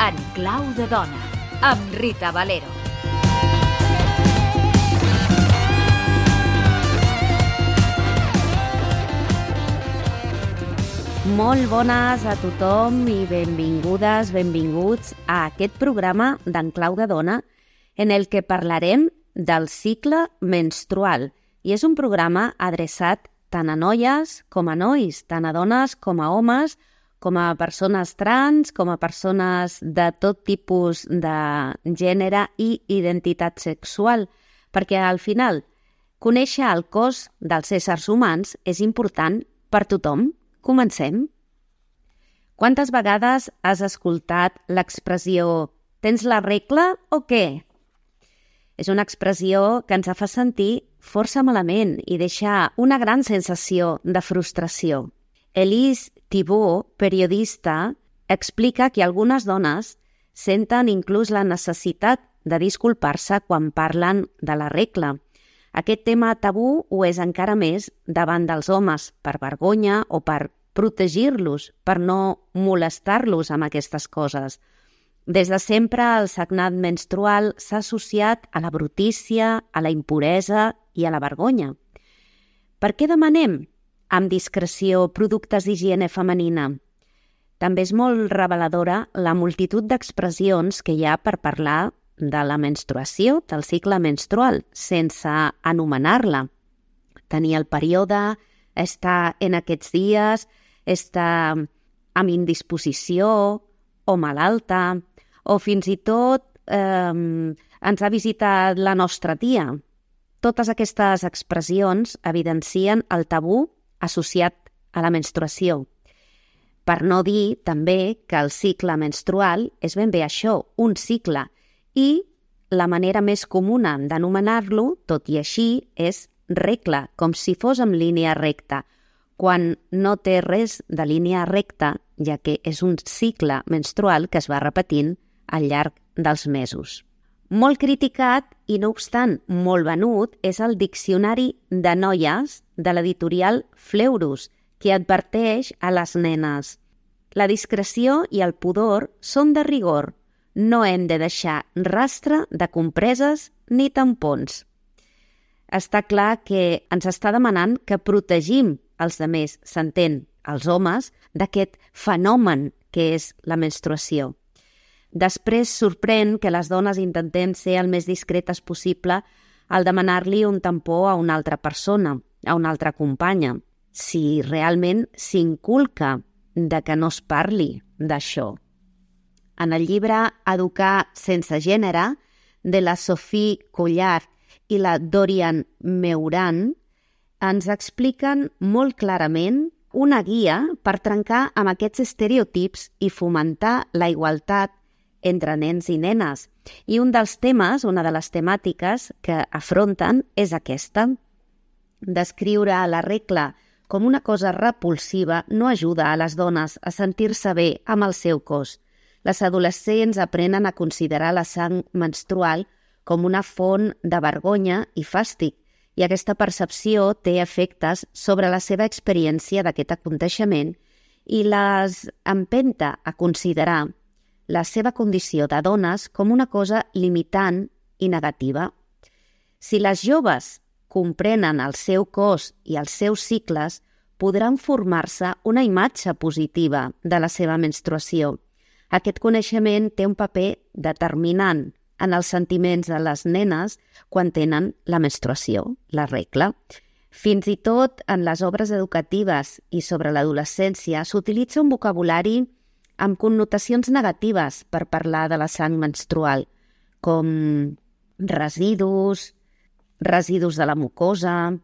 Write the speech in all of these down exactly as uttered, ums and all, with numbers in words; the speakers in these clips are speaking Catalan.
En clau de dona, amb Rita Valero. Molt bones a tothom i benvingudes, benvinguts a aquest programa d'En clau de dona en el que parlarem del cicle menstrual. I és un programa adreçat tant a noies com a nois, tant a dones com a homes, com a persones trans, com a persones de tot tipus de gènere i identitat sexual, perquè al final conèixer el cos dels éssers humans és important per tothom. Comencem. Quantes vegades has escoltat l'expressió «tens la regla o què?» És una expressió que ens fa sentir força malament i deixa una gran sensació de frustració. Elise Thibault, periodista, explica que algunes dones senten inclús la necessitat de disculpar-se quan parlen de la regla. Aquest tema tabú ho és encara més davant dels homes, per vergonya o per protegir-los, per no molestar-los amb aquestes coses. Des de sempre el sagnat menstrual s'ha associat a la brutícia, a la impuresa i a la vergonya. Per què demanem amb discreció productes d'higiene femenina? També és molt reveladora la multitud d'expressions que hi ha per parlar de la menstruació, del cicle menstrual, sense anomenar-la. Tenir el període, estar en aquests dies, estar amb indisposició o malalta, o fins i tot eh, ens ha visitat la nostra tia. Totes aquestes expressions evidencien el tabú associat a la menstruació. Per no dir també que el cicle menstrual és ben bé això, un cicle, i la manera més comuna d'anomenar-lo, tot i així, és regla, com si fos en línia recta, quan no té res de línia recta, ja que és un cicle menstrual que es va repetint al llarg dels mesos. Molt criticat i, no obstant, molt venut és el Diccionari de noies de l'editorial Fleurus, que adverteix a les nenes: la discreció i el pudor són de rigor. No hem de deixar rastre de compreses ni tampons. Està clar que ens està demanant que protegim els demés, s'entén, els homes, d'aquest fenomen que és la menstruació. Després sorprèn que les dones intentem ser el més discretes possible al demanar-li un tampó a una altra persona, a una altra companya, si realment s'inculca de que no es parli d'això. En el llibre Educar sense gènere, de la Sophie Collard i la Dorian Meuran, ens expliquen molt clarament una guia per trencar amb aquests estereotips i fomentar la igualtat entre nens i nenes. I un dels temes, una de les temàtiques que afronten és aquesta. Descriure la regla com una cosa repulsiva no ajuda a les dones a sentir-se bé amb el seu cos. Les adolescents aprenen a considerar la sang menstrual com una font de vergonya i fàstic, i aquesta percepció té efectes sobre la seva experiència d'aquest aconteixement i les empenta a considerar la seva condició de dones com una cosa limitant i negativa. Si les joves comprenen el seu cos i els seus cicles, podran formar-se una imatge positiva de la seva menstruació. Aquest coneixement té un paper determinant en els sentiments de les nenes quan tenen la menstruació, la regla. Fins i tot en les obres educatives i sobre l'adolescència s'utilitza un vocabulari amb connotacions negatives per parlar de la sang menstrual, com residus, residus de la mucosa.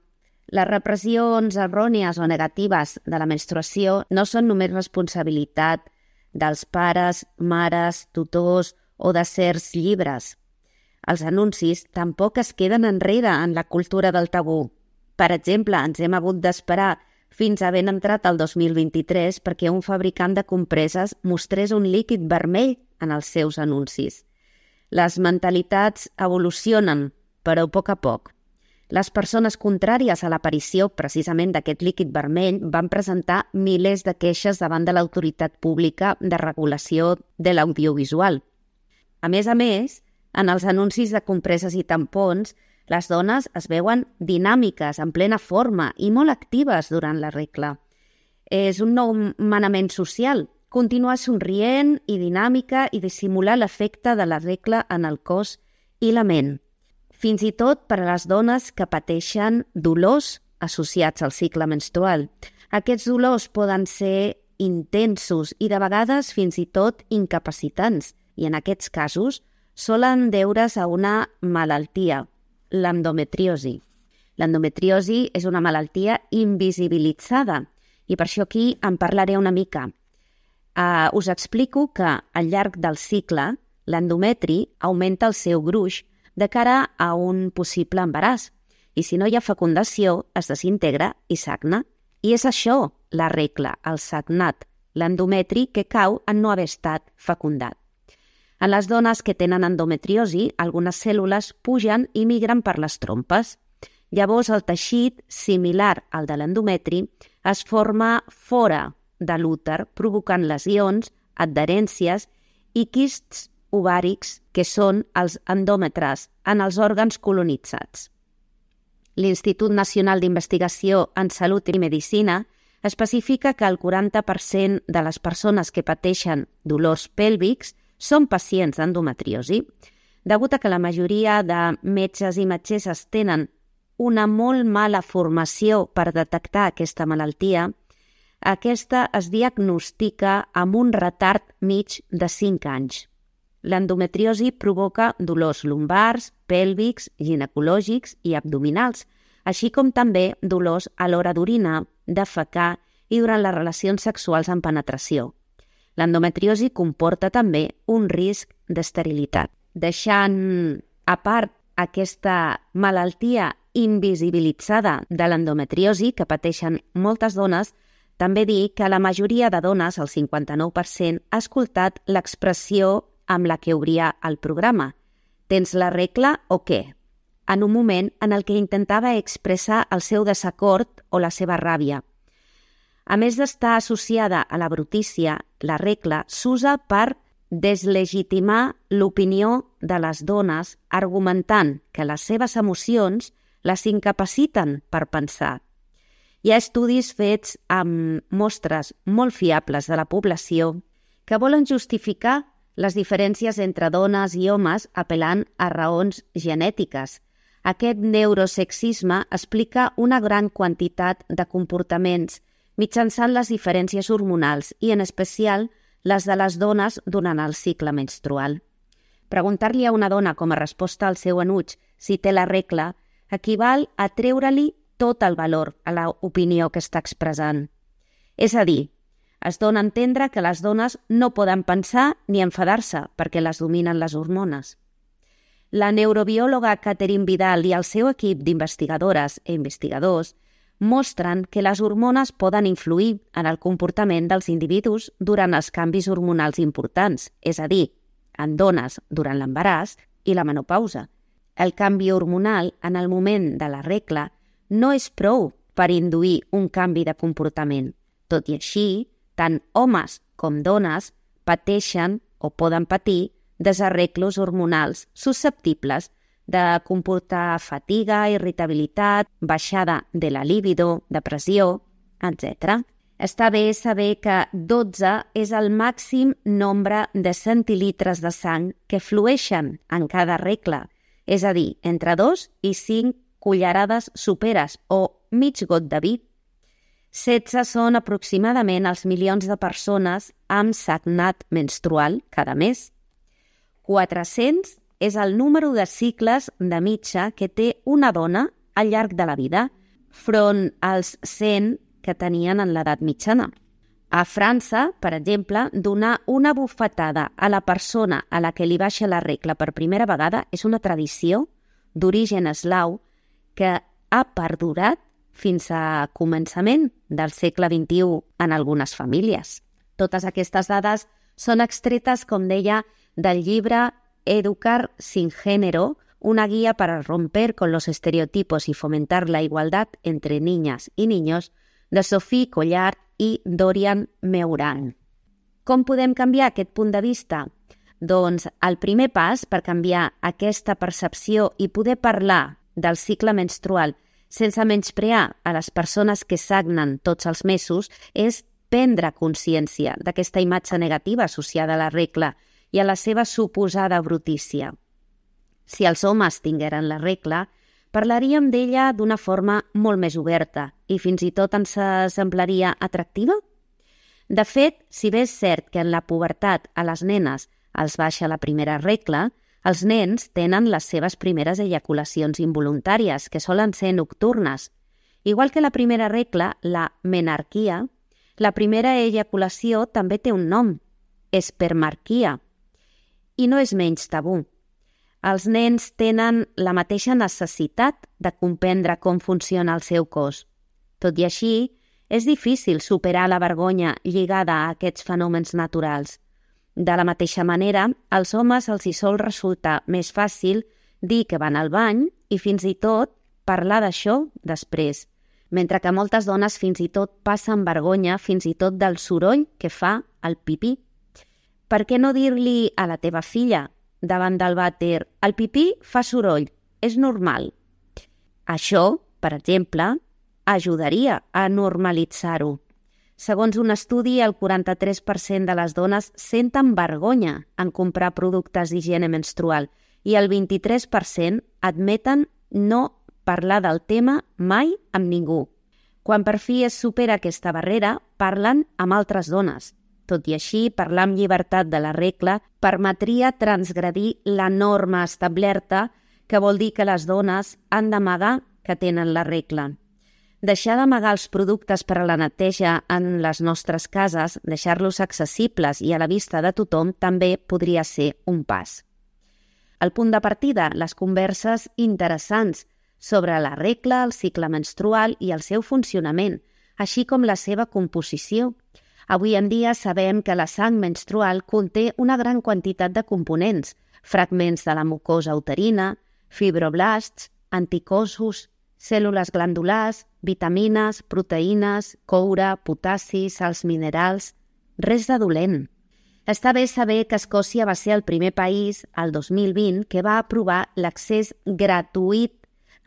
Les repressions errònies o negatives de la menstruació no són només responsabilitat dels pares, mares, tutors o de certs llibres. Els anuncis tampoc es queden enrere en la cultura del tabú. Per exemple, ens hem hagut d'esperar fins a ben entrat el dos mil vint-i-tres perquè un fabricant de compreses mostrés un líquid vermell en els seus anuncis. Les mentalitats evolucionen, però a poc a poc. Les persones contràries a l'aparició precisament d'aquest líquid vermell van presentar milers de queixes davant de l'autoritat pública de regulació de l'audiovisual. A més a més, en els anuncis de compreses i tampons, les dones es veuen dinàmiques, en plena forma i molt actives durant la regla. És un nou manament social, continuar somrient i dinàmica i dissimular l'efecte de la regla en el cos i la ment. Fins i tot per a les dones que pateixen dolors associats al cicle menstrual. Aquests dolors poden ser intensos i de vegades fins i tot incapacitants, i en aquests casos solen deure's a una malaltia, l'endometriosi. L'endometriosi és una malaltia invisibilitzada i per això aquí en parlaré una mica. Uh, us explico que al llarg del cicle l'endometri augmenta el seu gruix de cara a un possible embaràs i si no hi ha fecundació es desintegra i sagna. I és això la regla, el sagnat, l'endometri que cau en no haver estat fecundat. En les dones que tenen endometriosi, algunes cèl·lules pugen i migren per les trompes. Llavors el teixit, similar al de l'endometri, es forma fora de l'úter, provocant lesions, adherències i quists ovàrics, que són els endòmetres, en els òrgans colonitzats. L'Institut Nacional d'Investigació en Salut i Medicina especifica que el quaranta per cent de les persones que pateixen dolors pèlvics són pacients d'endometriosi. Degut a que la majoria de metges i metgesses tenen una molt mala formació per detectar aquesta malaltia, aquesta es diagnostica amb un retard mig de cinc anys. L'endometriosi provoca dolors lumbars, pèlvics, ginecològics i abdominals, així com també dolors a l'hora d'orinar, defecar i durant les relacions sexuals amb penetració. L'endometriosi comporta també un risc d'esterilitat. Deixant a part aquesta malaltia invisibilitzada de l'endometriosi que pateixen moltes dones, també dir que la majoria de dones, el cinquanta-nou per cent, ha escoltat l'expressió amb la que obria el programa. Tens la regla o què? En un moment en el que intentava expressar el seu desacord o la seva ràbia. A més d'estar associada a la brutícia, la regla s'usa per deslegitimar l'opinió de les dones argumentant que les seves emocions les incapaciten per pensar. Hi ha estudis fets amb mostres molt fiables de la població que volen justificar les diferències entre dones i homes apel·lant a raons genètiques. Aquest neurosexisme explica una gran quantitat de comportaments mitjançant les diferències hormonals i, en especial, les de les dones durant el cicle menstrual. Preguntar-li a una dona com a resposta al seu enuig si té la regla equival a treure-li tot el valor a l'opinió que està expressant. És a dir, es dona a entendre que les dones no poden pensar ni enfadar-se perquè les dominen les hormones. La neurobiòloga Catherine Vidal i el seu equip d'investigadores i investigadors mostren que les hormones poden influir en el comportament dels individus durant els canvis hormonals importants, és a dir, en dones durant l'embaràs i la menopausa. El canvi hormonal en el moment de la regla no és prou per induir un canvi de comportament. Tot i així, tant homes com dones pateixen o poden patir desarreglos hormonals susceptibles de comportar fatiga, irritabilitat, baixada de la libido, depressió, etcètera. Està bé saber que dotze és el màxim nombre de centilitres de sang que flueixen en cada regla, és a dir, entre dos i cinc cullerades soperes o mig got de vi. setze són aproximadament els milions de persones amb sagnat menstrual cada mes. quatre-cents és el número de cicles de mitja que té una dona al llarg de la vida, front als cent que tenien en l'edat mitjana. A França, per exemple, donar una bufetada a la persona a la que li baixa la regla per primera vegada és una tradició d'origen eslau que ha perdurat fins a començament del segle vint-i-u en algunes famílies. Totes aquestes dades són extretes, com deia, del llibre Educar sin género una guía para romper con los estereotipos y fomentar la igualdad entre niñas i niños, de Sophie Collard i Dorian Meuran. Com podem canviar aquest punt de vista? Doncs el primer pas per canviar aquesta percepció i poder parlar del cicle menstrual sense menysprear a les persones que sagnen tots els mesos és prendre consciència d'aquesta imatge negativa associada a la regla i a la seva suposada brutícia. Si els homes tingueren la regla, parlaríem d'ella d'una forma molt més oberta i fins i tot ens semblaria atractiva? De fet, si bé és cert que en la pubertat a les nenes els baixa la primera regla, els nens tenen les seves primeres eyaculacions involuntàries, que solen ser nocturnes. Igual que la primera regla, la menarquia, la primera eyaculació també té un nom, espermarquia, i no és menys tabú. Els nens tenen la mateixa necessitat de comprendre com funciona el seu cos. Tot i així, és difícil superar la vergonya lligada a aquests fenòmens naturals. De la mateixa manera, als homes els hi sol resultar més fàcil dir que van al bany i fins i tot parlar d'això després, mentre que moltes dones fins i tot passen vergonya fins i tot del soroll que fa el pipí. Per què no dir-li a la teva filla, davant del vàter, el pipí fa soroll, és normal? Això, per exemple, ajudaria a normalitzar-ho. Segons un estudi, el quaranta-tres per cent de les dones senten vergonya en comprar productes d'higiene menstrual i el vint-i-tres per cent admeten no parlar del tema mai amb ningú. Quan per fi es supera aquesta barrera, parlen amb altres dones. Tot i així, parlar amb llibertat de la regla permetria transgredir la norma establerta, que vol dir que les dones han d'amagar que tenen la regla. Deixar d'amagar els productes per a la neteja en les nostres cases, deixar-los accessibles i a la vista de tothom, també podria ser un pas. El punt de partida, les converses interessants sobre la regla, el cicle menstrual i el seu funcionament, així com la seva composició. Avui en dia sabem que la sang menstrual conté una gran quantitat de components, fragments de la mucosa uterina, fibroblasts, anticossos, cèl·lules glandulars, vitamines, proteïnes, coure, potassi, sals minerals... Res de dolent. Està bé saber que Escòcia va ser el primer país, el dos mil vint, que va aprovar l'accés gratuït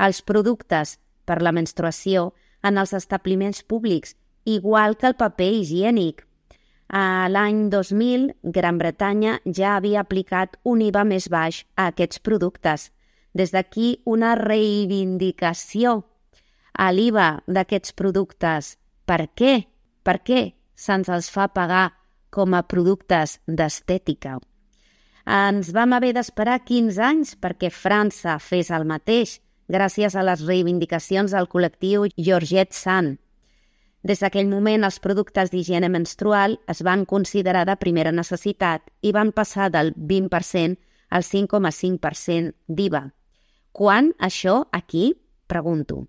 als productes per la menstruació en els establiments públics, igual que el paper higiènic. A l'any dos mil, Gran Bretanya ja havia aplicat un I V A més baix a aquests productes. Des d'aquí una reivindicació a l'I V A d'aquests productes. Per què? Per què se'ns els fa pagar com a productes d'estètica? Ens vam haver d'esperar quinze anys perquè França fes el mateix, gràcies a les reivindicacions del col·lectiu Georgette Sand. Des d'aquell moment, els productes d'higiene menstrual es van considerar de primera necessitat i van passar del vint per cent al cinc coma cinc per cent d'I V A. Quan això aquí? Pregunto.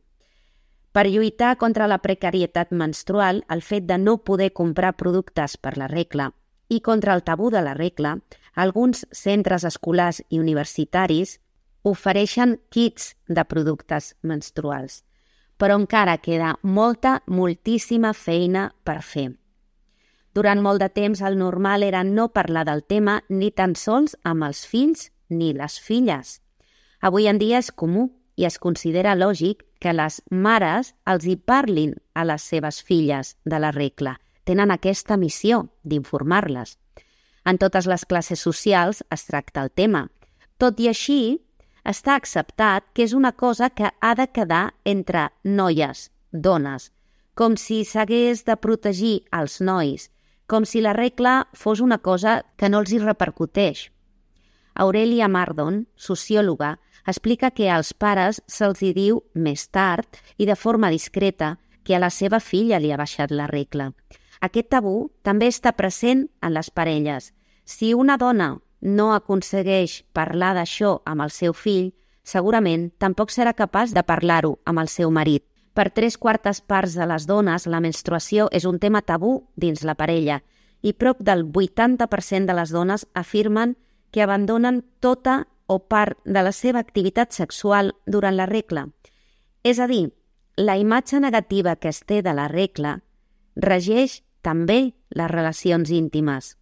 Per lluitar contra la precarietat menstrual, el fet de no poder comprar productes per la regla i contra el tabú de la regla, alguns centres escolars i universitaris ofereixen kits de productes menstruals, però encara queda molta, moltíssima feina per fer. Durant molt de temps el normal era no parlar del tema ni tan sols amb els fills ni les filles. Avui en dia és comú i es considera lògic que les mares els hi parlin a les seves filles de la regla. Tenen aquesta missió d'informar-les. En totes les classes socials es tracta el tema. Tot i així, està acceptat que és una cosa que ha de quedar entre noies, dones, com si s'hagués de protegir els nois, com si la regla fos una cosa que no els hi repercuteix. Aurelia Mardon, sociòloga, explica que als pares se'ls hi diu més tard i de forma discreta que a la seva filla li ha baixat la regla. Aquest tabú també està present en les parelles. Si una dona no aconsegueix parlar d'això amb el seu fill, segurament tampoc serà capaç de parlar-ho amb el seu marit. Per tres quartes parts de les dones, la menstruació és un tema tabú dins la parella i prop del vuitanta per cent de les dones afirmen que abandonen tota o part de la seva activitat sexual durant la regla. És a dir, la imatge negativa que es té de la regla regeix també les relacions íntimes.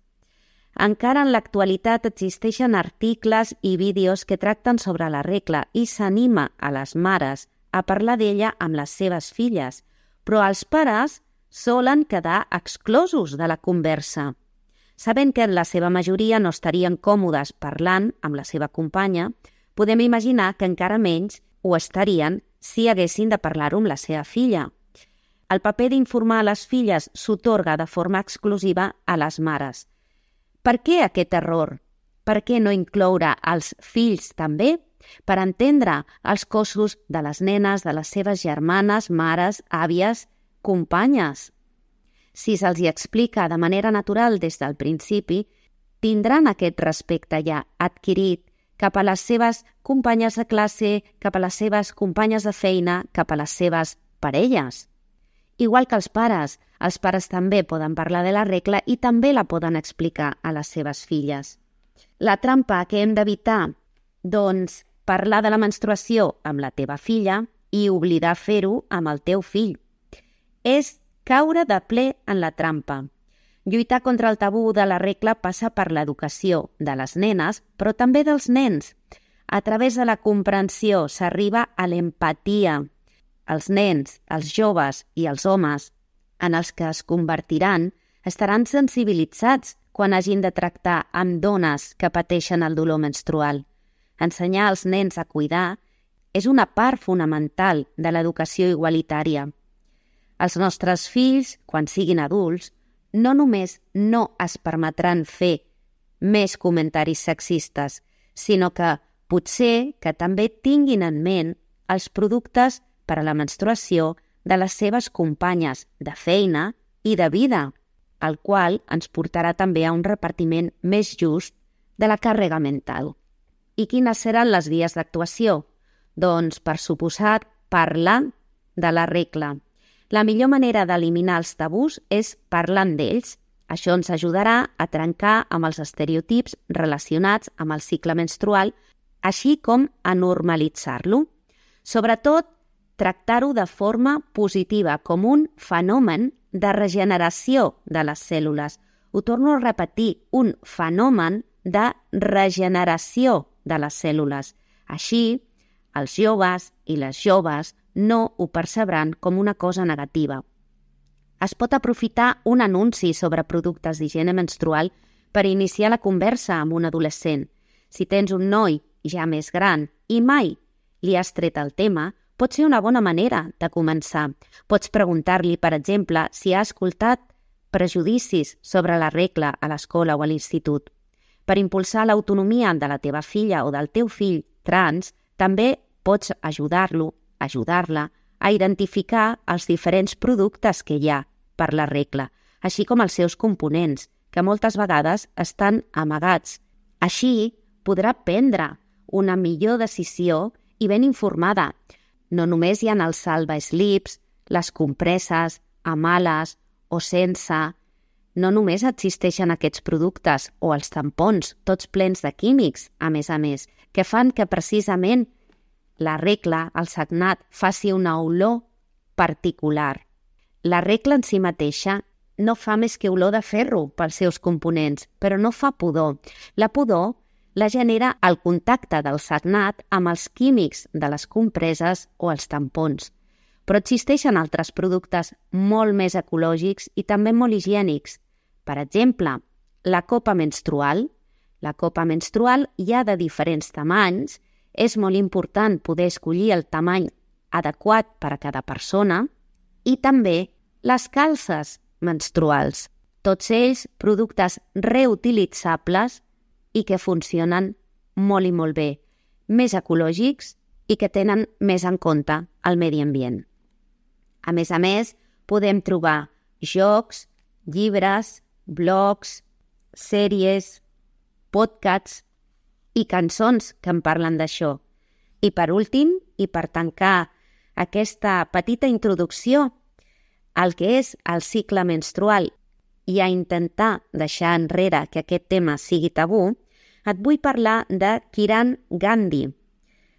Encara en l'actualitat existeixen articles i vídeos que tracten sobre la regla i s'anima a les mares a parlar d'ella amb les seves filles, però els pares solen quedar exclosos de la conversa. Sabent que en la seva majoria no estarien còmodes parlant amb la seva companya, podem imaginar que encara menys ho estarien si haguessin de parlar-ho amb la seva filla. El paper d'informar a les filles s'atorga de forma exclusiva a les mares. Per què aquest error? Per què no incloure els fills també? Per entendre els cossos de les nenes, de les seves germanes, mares, àvies, companyes. Si se'ls hi explica de manera natural des del principi, tindran aquest respecte ja adquirit cap a les seves companyes de classe, cap a les seves companyes de feina, cap a les seves parelles. Igual que els pares, els pares també poden parlar de la regla i també la poden explicar a les seves filles. La trampa que hem d'evitar, doncs, parlar de la menstruació amb la teva filla i oblidar fer-ho amb el teu fill. És caure de ple en la trampa. Lluitar contra el tabú de la regla passa per l'educació de les nenes, però també dels nens. A través de la comprensió s'arriba a l'empatia. Els nens, els joves i els homes en els que es convertiran estaran sensibilitzats quan hagin de tractar amb dones que pateixen el dolor menstrual. Ensenyar als nens a cuidar és una part fonamental de l'educació igualitària. Els nostres fills, quan siguin adults, no només no es permetran fer més comentaris sexistes, sinó que potser que també tinguin en ment els productes per a la menstruació de les seves companyes de feina i de vida, el qual ens portarà també a un repartiment més just de la càrrega mental. I quines seran les vies d'actuació? Doncs, per suposat, parlar de la regla. La millor manera d'eliminar els tabús és parlant d'ells. Això ens ajudarà a trencar amb els estereotips relacionats amb el cicle menstrual, així com a normalitzar-lo. Sobretot, tractar-ho de forma positiva, com un fenomen de regeneració de les cèl·lules. Ho torno a repetir, un fenomen de regeneració de les cèl·lules. Així, els joves i les joves no ho percebran com una cosa negativa. Es pot aprofitar un anunci sobre productes d'higiene menstrual per iniciar la conversa amb un adolescent. Si tens un noi ja més gran i mai li has tret el tema, pot ser una bona manera de començar. Pots preguntar-li, per exemple, si ha escoltat prejudicis sobre la regla a l'escola o a l'institut. Per impulsar l'autonomia de la teva filla o del teu fill trans, també pots ajudar-lo, ajudar-la a identificar els diferents productes que hi ha per la regla, així com els seus components, que moltes vegades estan amagats. Així podrà prendre una millor decisió i ben informada. No només hi ha els salva-slips, les compreses, amb ales o sense. No només existeixen aquests productes o els tampons, tots plens de químics, a més a més, que fan que precisament la regla, el sagnat, faci una olor particular. La regla en si mateixa no fa més que olor de ferro pels seus components, però no fa pudor. La pudor la genera el contacte del sagnat amb els químics de les compreses o els tampons. Però existeixen altres productes molt més ecològics i també molt higiènics. Per exemple, la copa menstrual. La copa menstrual hi ha de diferents tamanys. És molt important poder escollir el tamany adequat per a cada persona. I també les calces menstruals. Tots ells productes reutilitzables i que funcionen molt i molt bé, més ecològics i que tenen més en compte el medi ambient. A més a més, podem trobar jocs, llibres, blogs, sèries, podcasts i cançons que en parlen d'això. I per últim, i per tancar aquesta petita introducció al que és el cicle menstrual i a intentar deixar enrere que aquest tema sigui tabú, Et vull parlar de Kiran Gandhi,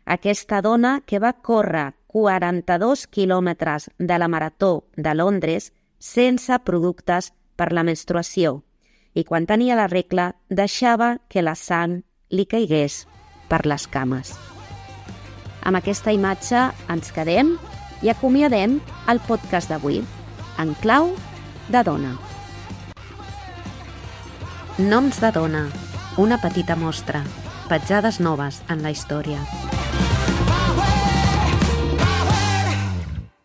aquesta dona que va córrer quaranta-dos quilòmetres de la Marató de Londres sense productes per la menstruació i quan tenia la regla deixava que la sang li caigués per les cames. Amb aquesta imatge ens quedem i acomiadem el podcast d'avui, en clau de dona. Noms de dona, una petita mostra, petjades noves en la història.